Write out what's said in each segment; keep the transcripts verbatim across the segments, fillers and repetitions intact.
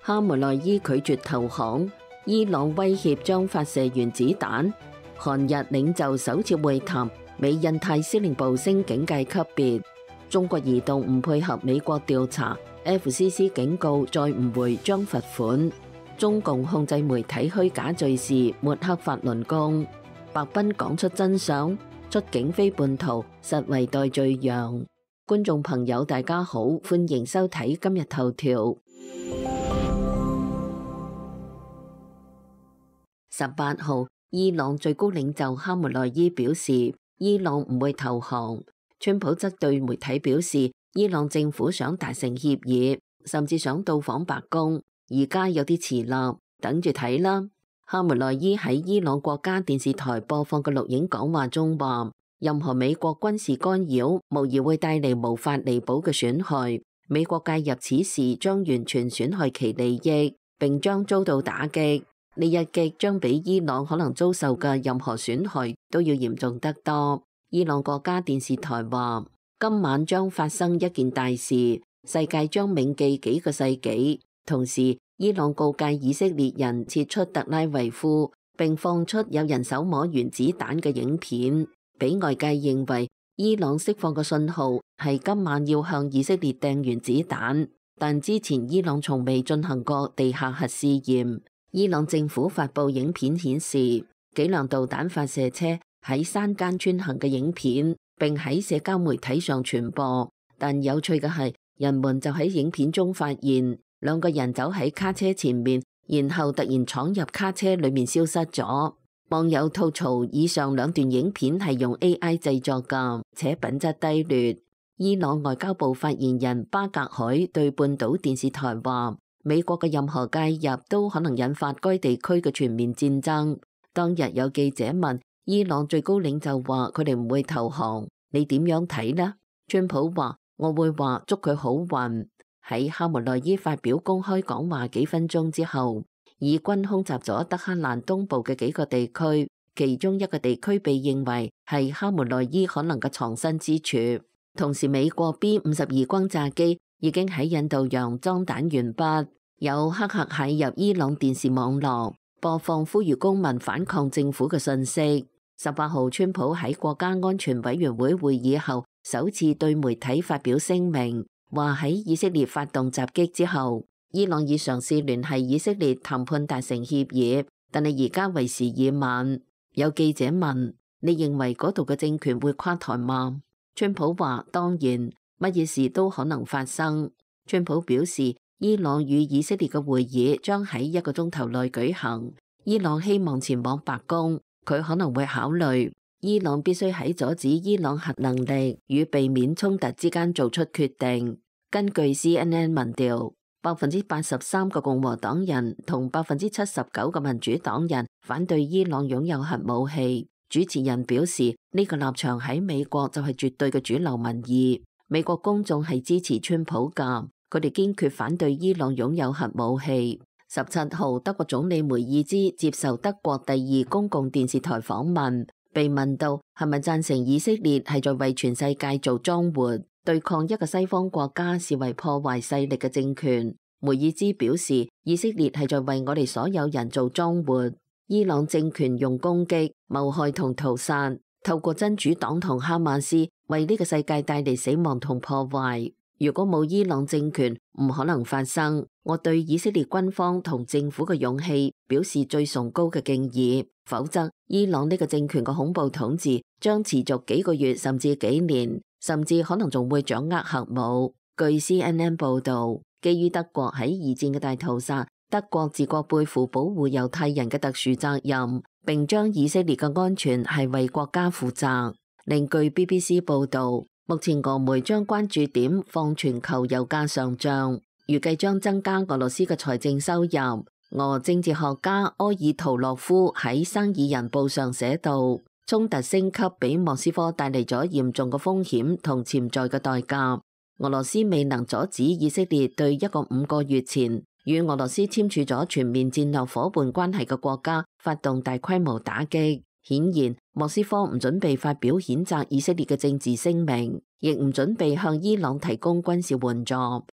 哈梅內伊拒絕投降，伊朗威脅將發射原子彈，韓日領袖首次會談，美印太司令部升警戒級別。中國移動唔配合美國調查 ，F C C 警告再唔回將罰款。中共控制媒體虛假敘事，抹黑法輪功。白斌講出真相，出境非叛徒，實為代罪羊。觀眾朋友大家好，歡迎收睇今日頭條。十八號，伊朗最高領袖哈梅內伊表示，伊朗唔會投降。川普則對媒體表示，伊朗政府想達成協議，甚至想到訪白宮，而家有啲遲啦，等住睇啦。哈梅內伊喺伊朗國家電視台播放嘅錄影講話中話，任何美國軍事干擾，無疑會帶嚟無法彌補嘅損害。美國介入此事將完全損害其利益，並將遭到打擊。呢一擊將比伊朗可能遭受嘅任何損害都要嚴重得多。伊朗國家電視台話，今晚將發生一件大事，世界將銘記幾個世紀。同時，伊朗告誡以色列人撤出特拉維夫，並放出有人手摸原子彈嘅影片，俾外界認為伊朗釋放嘅信號係今晚要向以色列掟原子彈。但之前伊朗從未進行過地下核試驗。伊朗政府發布影片顯示幾輛導彈發射車喺山間穿行嘅影片，並喺社交媒體上傳播。但有趣嘅係，人們就喺影片中發現兩個人走喺卡車前面，然後突然闖入卡車裏面消失咗。網友吐槽以上兩段影片係用 A I 製作㗎，且品質低劣。伊朗外交部發言人巴格海對半島電視台話，美國嘅任何介入都可能引發該地區嘅全面戰爭。當日有記者問伊朗最高領袖話佢哋唔會投降，你點樣睇呢？川普話，我會話祝佢好運。喺哈梅內伊發表公開講話幾分鐘之後，以軍空襲咗德黑蘭東部嘅幾個地區，其中一個地區被認為係哈梅內伊可能嘅藏身之處。同時，美國 B 五十二轟炸機已經喺印度洋裝彈完畢。有黑客駭入伊朗電視網絡，播放呼籲公民反抗政府嘅信息。十八號，川普喺國家安全委員會會議後首次對媒體發表聲明，話喺以色列發動襲擊之後，伊朗已嘗試聯繫以色列談判達成協議，但係而家為時已晚。有記者問，你認為嗰度嘅政權會垮台嗎？川普話，當然，乜嘢事都可能發生。川普表示，伊朗與以色列嘅會議將喺一個鐘頭內舉行。伊朗希望前往白宮，佢可能會考慮伊朗必須喺阻止伊朗核能力與避免衝突之間做出決定。根據 C N N 民調，百分之八十三個共和黨人同百分之七十九個民主黨人反對伊朗擁有核武器。主持人表示，呢個立場喺美國就係絕對嘅主流民意。美國公眾係支持川普㗎。佢哋堅決反對伊朗擁有核武器。十七號，德國總理梅爾茲接受德國第二公共電視台訪問，被問到係咪贊成以色列係在為全世界做莊活，對抗一個西方國家視為破壞勢力嘅政權。梅爾茲表示，以色列係在為我哋所有人做莊活。伊朗政權用攻擊、謀害同屠殺，透過真主黨同哈馬斯為呢個世界帶嚟死亡同破壞。如果冇伊朗政權，唔可能發生。我對以色列軍方同政府嘅勇氣表示最崇高嘅敬意，否則伊朗呢個政權嘅恐怖統治將持續幾個月甚至幾年，甚至可能仲會掌握核武。據 C N N 報導，基於德國喺二戰嘅大屠殺，德國自覺背負保護猶太人嘅特殊責任，並將以色列嘅安全係為國家負責。另據 B B C 報導，目前俄媒將關注點放全球油價上漲，預計將增加俄羅斯嘅財政收入。俄政治學家柯爾圖洛夫喺《生意人報》上寫道，衝突升級俾莫斯科帶嚟咗嚴重嘅風險同潛在嘅代價。俄羅斯未能阻止以色列對一個五個月前與俄羅斯簽署咗全面戰略夥伴關係嘅國家發動大規模打擊。顯然，莫斯科唔準備發表譴責以色列嘅政治聲明，亦唔準備向伊朗提供軍事援助。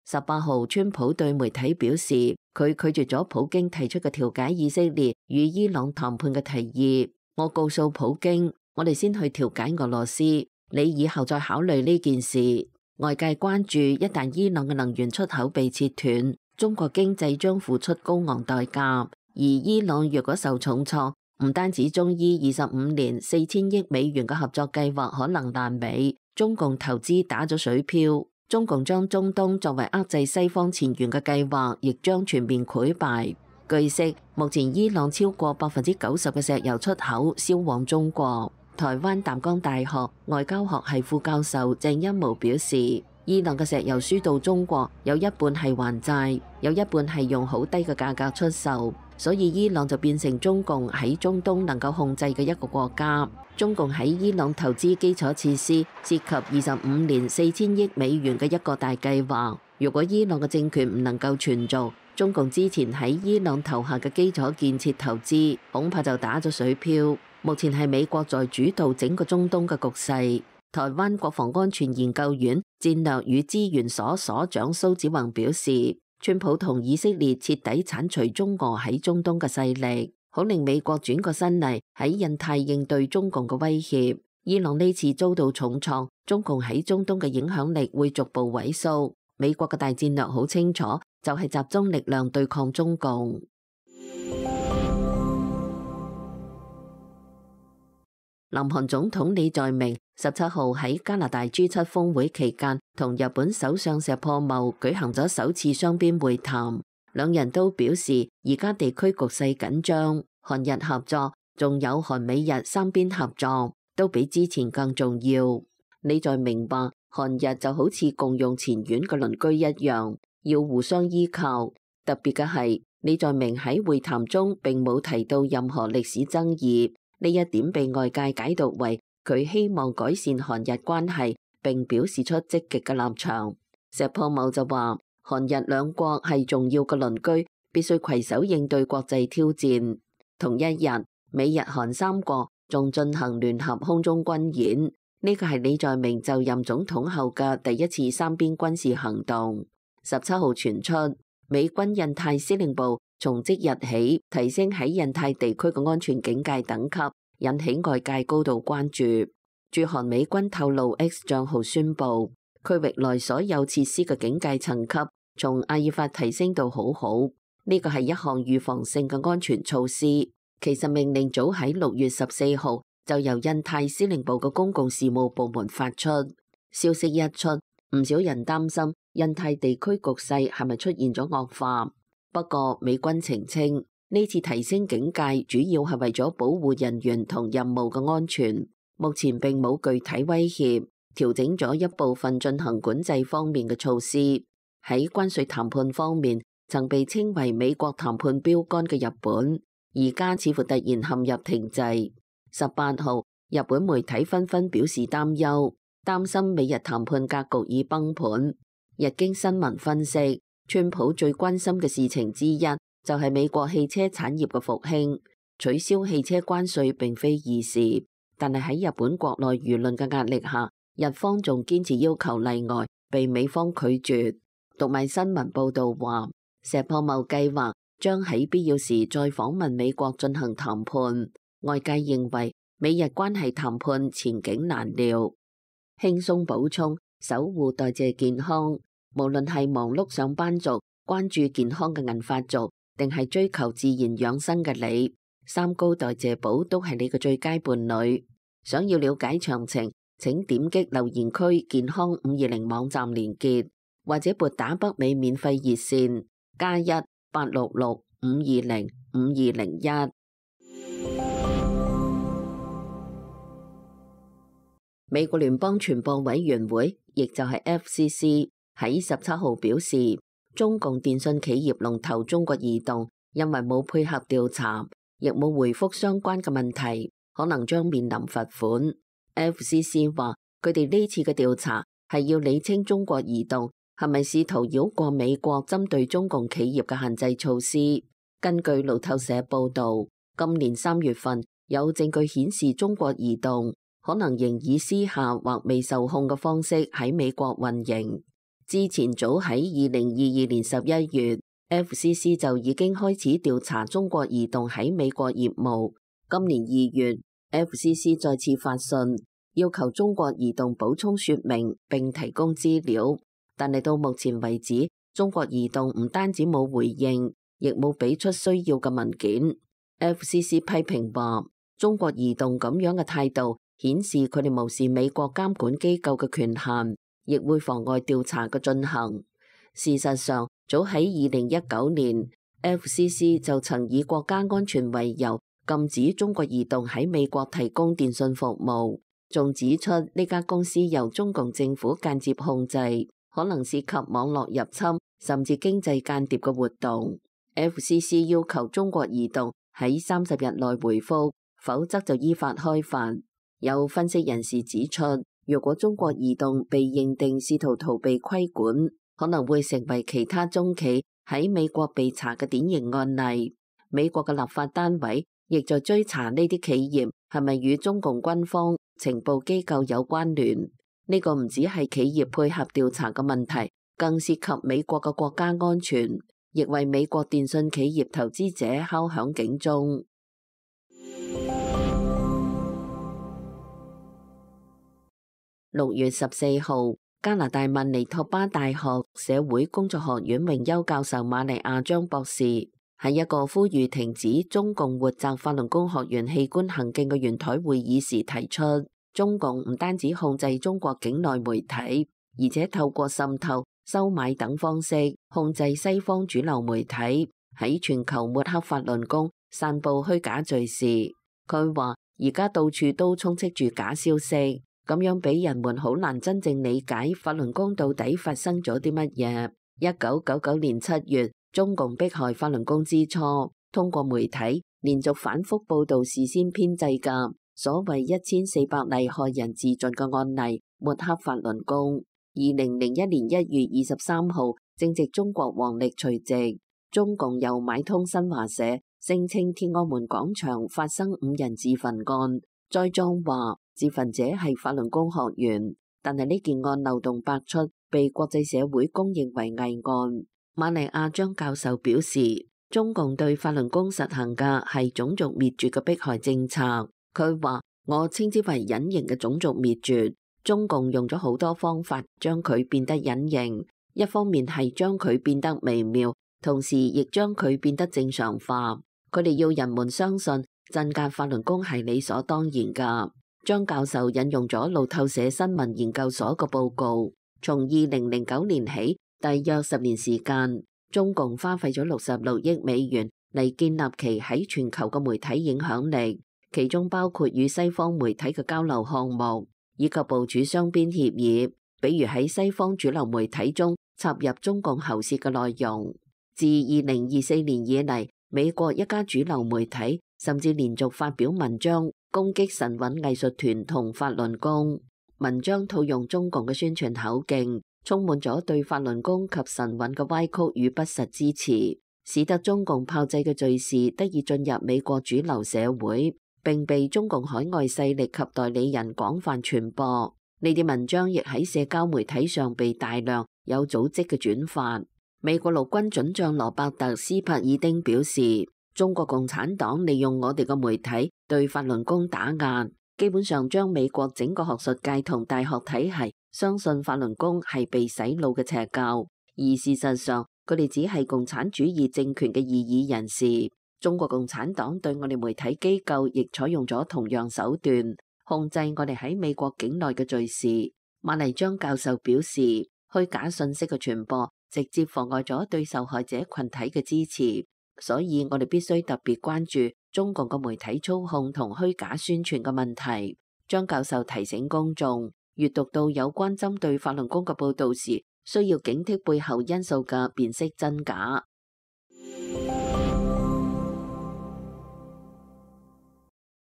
十八號，川普對媒體表示，佢拒絕咗普京提出嘅調解以色列與伊朗談判嘅提議。我告訴普京，我哋先去調解俄羅斯，你以後再考慮呢件事。外界關注，一旦伊朗嘅能源出口被切斷，中國經濟將付出高昂代價。而伊朗若果受重挫，唔單止中伊二十五年四千億美元嘅合作計劃可能爛尾，中共投資打咗水漂。中共將中東作為遏制西方前沿嘅計劃，亦將全面潰敗。據悉，目前伊朗超過百分之九十嘅石油出口銷往中國。台灣淡江大學外交學系副教授鄭一模表示，伊朗嘅石油輸到中國有一半係還債，有一半係用好低嘅價格出售，所以伊朗就變成中共喺中東能夠控制嘅一個國家。中共喺伊朗投資基礎設施涉及二十五年四千億美元嘅一個大計劃。如果伊朗嘅政權唔能夠存續，中共之前喺伊朗投下嘅基礎建設投資恐怕就打咗水漂。目前係美國在主導整個中東嘅局勢。台灣國防安全研究院戰略與資源所所長蘇子宏表示，川普同以色列徹底剷除中俄喺中東嘅勢力，好令美國轉過身嚟喺印太應對中共嘅威脅。伊朗呢次遭到重創，中共喺中東嘅影響力會逐步萎縮。美國嘅大戰略好清楚，就係集中力量對抗中共。南韓總統李在明十七號喺加拿大 G 七 峰會期間，同日本首相石破茂舉行咗首次雙邊會談。兩人都表示，而家地區局勢緊張，韓日合作，仲有韓美日三邊合作，都比之前更重要。李在明話，韓日就好似共用前院嘅鄰居一樣，要互相依靠。特別嘅係，李在明喺會談中並冇提到任何歷史爭議。呢一點被外界解讀為佢希望改善韓日關係，並表示出積極嘅立場。石破茂就話，韓日兩國係重要嘅鄰居，必須攜手應對國際挑戰。同一日，美日韓三國仲進行聯合空中軍演，呢個係李在明就任總統後嘅第一次三邊軍事行動。十七號傳出，美軍印太司令部從即日起提升喺印太地區嘅安全警戒等級，引起外界高度關注。駐韓美軍透露 X 賬號宣布，區域內所有設施嘅警戒層級從阿爾法提升到好好，呢個係一項預防性嘅安全措施。其實命令早喺六月十四號就由印太司令部嘅公共事務部門發出。消息一出，唔少人擔心印太地區局勢係咪出現咗惡化。不過美軍澄清，呢次提升警戒主要係為咗保護人員同任務嘅安全，目前並冇具體威脅，調整咗一部分進行管制方面嘅措施。喺關稅談判方面，曾被稱為美國談判標杆嘅日本，而家似乎突然陷入停滯。十八號，日本媒體紛紛表示擔憂，擔心美日談判格局已崩盤。日經新聞分析，川普最關心嘅事情之一就係美國汽車產業嘅復興，取消汽車關稅並非易事，但係喺日本國內輿論嘅壓力下，日方仲堅持要求例外，被美方拒絕。讀賣新聞報道話，石破茂計劃將喺必要時再訪問美國進行談判。外界認為美日關係談判前景難料。輕鬆補充，守護代謝健康。無論係忙碌上班族、關注健康嘅銀髮族，定係追求自然養生嘅你，三高代謝寶都係你嘅最佳伴侶。想要了解詳情，請點擊留言區健康五二零網站連結，或者撥打北美免費熱線加一八六六五二零五二零一。美國聯邦傳播委員會，亦就係 F C C。喺十七號表示，中共電信企業龍頭中國移動因為冇配合調查，亦冇回覆相關嘅問題，可能將面臨罰款。F C C 話，佢哋呢次嘅調查係要理清中國移動係咪試圖繞過美國針對中共企業嘅限制措施。根據路透社報道，今年三月份有證據顯示中國移動可能仍以私下或未受控嘅方式喺美國運營。之前早喺二零二二年十一月 ，F C C 就已經開始調查中國移動喺美國業務。今年二月 ，F C C 再次發信要求中國移動補充說明並提供資料，但係到目前為止，中國移動唔單止冇回應，亦冇俾出需要嘅文件。F C C 批評話，中國移動咁樣嘅態度顯示佢哋無視美國監管機構嘅權限，亦會妨礙調查嘅進行。事實上，早喺二零一九年 ，F C C 就曾以國家安全為由禁止中國移動喺美國提供電信服務，仲指出呢家公司由中共政府間接控制，可能涉及網絡入侵甚至經濟間諜嘅活動。F C C 要求中國移動喺三十日內回覆，否則就依法開罰。有分析人士指出，如果中國移動被認定試圖逃避規管，可能會成為其他中企喺美國被查嘅典型案例。美國嘅立法單位亦在追查呢啲企業係咪與中共軍方情報機構有關聯。呢個唔只係企業配合調查嘅問題，更涉及美國嘅國家安全，亦為美國電信企業投資者敲響警鐘。六月十四號，加拿大曼尼托巴大學社會工作學院榮休教授瑪麗亞張博士喺一個呼籲停止中共活摘法輪功學員器官行徑嘅圓台會議時提出，中共唔單止控制中國境內媒體，而且透過滲透、收買等方式控制西方主流媒體，喺全球抹黑法輪功、散布虛假敘事。佢話而家到處都充斥住假消息，咁樣俾人們好難真正理解法輪功到底發生咗啲乜嘢。一九九九年七月，中共迫害法輪功之初，通過媒體連續反覆報道事先編製嘅所謂一千四百例害人自盡嘅案例，抹黑法輪功。二零零一年一月二十三號，正值中國黃曆除夕，中共又買通新華社，聲稱天安門廣場發生五人自焚案，栽贓話自焚者係法輪功學員，但係呢件案漏洞百出，被國際社會公認為偽案。瑪麗亞張教授表示，中共對法輪功實行嘅係種族滅絕嘅迫害政策。佢話：我稱之為隱形嘅種族滅絕。中共用咗好多方法將佢變得隱形，一方面係將佢變得微妙，同時亦將佢變得正常化。佢哋要人們相信鎮壓法輪功係理所當然㗎。張教授引用咗路透社新聞研究所個報告，從二零零九年起，大約十年時間，中共花費咗六十六億美元嚟建立其喺全球嘅媒體影響力，其中包括與西方媒體嘅交流項目，以及部署雙邊協議，比如喺西方主流媒體中插入中共喉舌嘅內容。自二零二四年以嚟，美國一家主流媒體甚至連續發表文章攻擊神韻藝術團同法輪功，文章套用中共嘅宣傳口徑，充滿咗對法輪功及神韻嘅歪曲與不實支持，使得中共炮製嘅敘事得以進入美國主流社會，並被中共海外勢力及代理人廣泛傳播。呢啲文章亦喺社交媒體上被大量有組織嘅轉發。美國陸軍准將羅伯特斯柏爾丁表示，中國共產黨利用我哋嘅媒體對法輪功打壓，基本上將美國整個學術界同大學體系相信法輪功係被洗腦嘅邪教，而事實上佢哋只係共產主義政權嘅異議人士。中國共產黨對我哋媒體機構亦採用咗同樣手段，控制我哋喺美國境內嘅敘事。瑪麗張教授表示，虛假信息嘅傳播直接妨礙咗對受害者群體嘅支持。所以我哋必須特別關注中共嘅媒體操控同虛假宣傳嘅問題。張教授提醒公眾，閱讀到有關針對法輪功嘅報道時，需要警惕背後因素嘅辨識真假。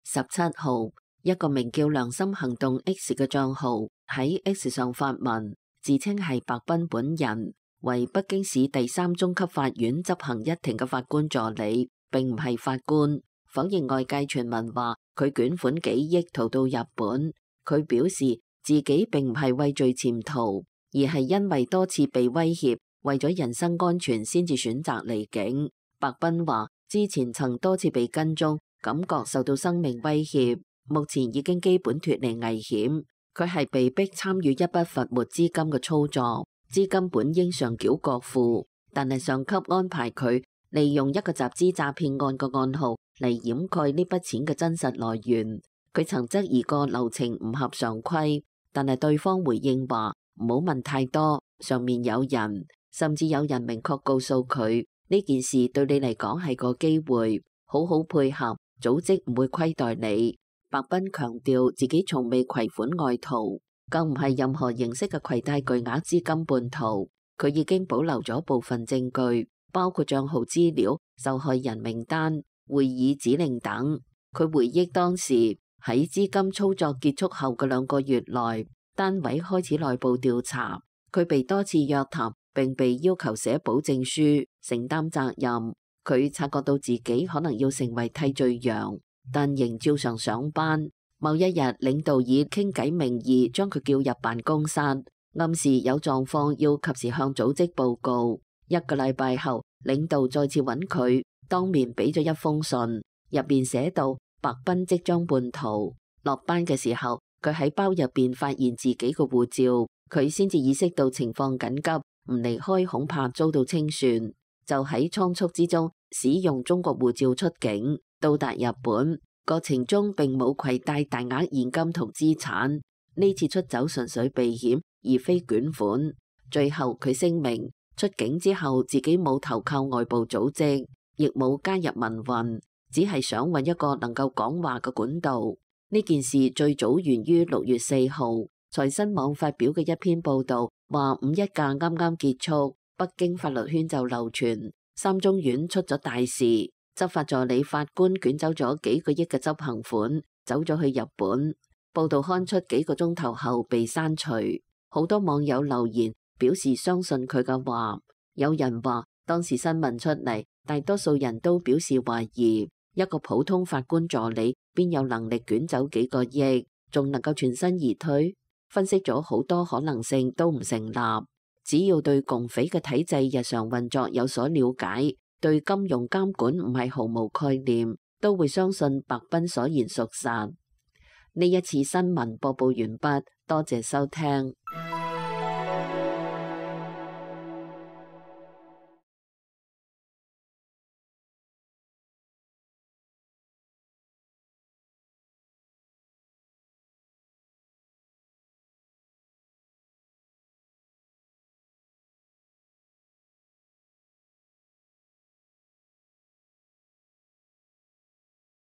十七號，一個名叫良心行動 X 嘅賬號喺 X 上發文，自稱係白斌本人，為北京市第三中級法院執行一庭嘅法官助理，並唔係法官，否認外界傳聞話佢捲款幾億逃到日本。佢表示自己並唔係畏罪潛逃，而係因為多次被威脅，為咗人身安全先至選擇離境。白斌話之前曾多次被跟蹤，感覺受到生命威脅，目前已經基本脫離危險。佢係被逼參與一筆罰沒資金嘅操作，資金本應上繳國庫，但係上級安排佢利用一個集資詐騙案嘅案號嚟掩蓋呢筆錢嘅真實來源。佢曾質疑過流程唔合常規，但係對方回應話唔好問太多，上面有人，甚至有人明確告訴佢呢件事對你嚟講係個機會，好好配合，組織唔會虧待你。白斌強調自己從未攜款外逃，更唔係任何形式嘅攜帶巨額資金叛逃。佢已經保留咗部分證據，包括賬號資料、受害人名單、會議指令等。佢回憶當時喺資金操作結束後嘅兩個月內，單位開始內部調查，佢被多次約談，並被要求寫保證書，承擔責任。佢察覺到自己可能要成為替罪羊，但仍照常上班。某一日，領導以傾偈名義將佢叫入辦公室，暗示有狀況要及時向組織報告。一個禮拜後，領導再次揾佢，當面俾咗一封信，入邊寫到白斌即將叛逃。落班嘅時候，佢喺包入邊發現自己嘅護照，佢先至意識到情況緊急，唔離開恐怕遭到清算，就喺倉促之中使用中國護照出境。到達日本過程中並冇攜帶大額現金同資產，呢次出走純粹避險而非捲款。最後佢聲明出境之後自己冇投靠外部組織，亦冇加入民運，只係想揾一個能夠講話嘅管道。呢件事最早源於六月四號財新網發表嘅一篇報道，話五一假啱啱結束，北京法律圈就流傳三中院出咗大事，執法助理法官捲走咗幾個億嘅執行款，走咗去日本。報道刊出幾個鐘頭後被刪除，好多網友留言表示相信佢嘅話。有人話當時新聞出嚟，大多數人都表示懷疑，一個普通法官助理邊有能力捲走幾個億，仲能夠全身而退？分析咗好多可能性都唔成立。只要對共匪嘅體制日常運作有所了解，對金融監管唔係毫無概念，都會相信白斌所言屬實。呢一次新聞播報完畢，多謝收聽。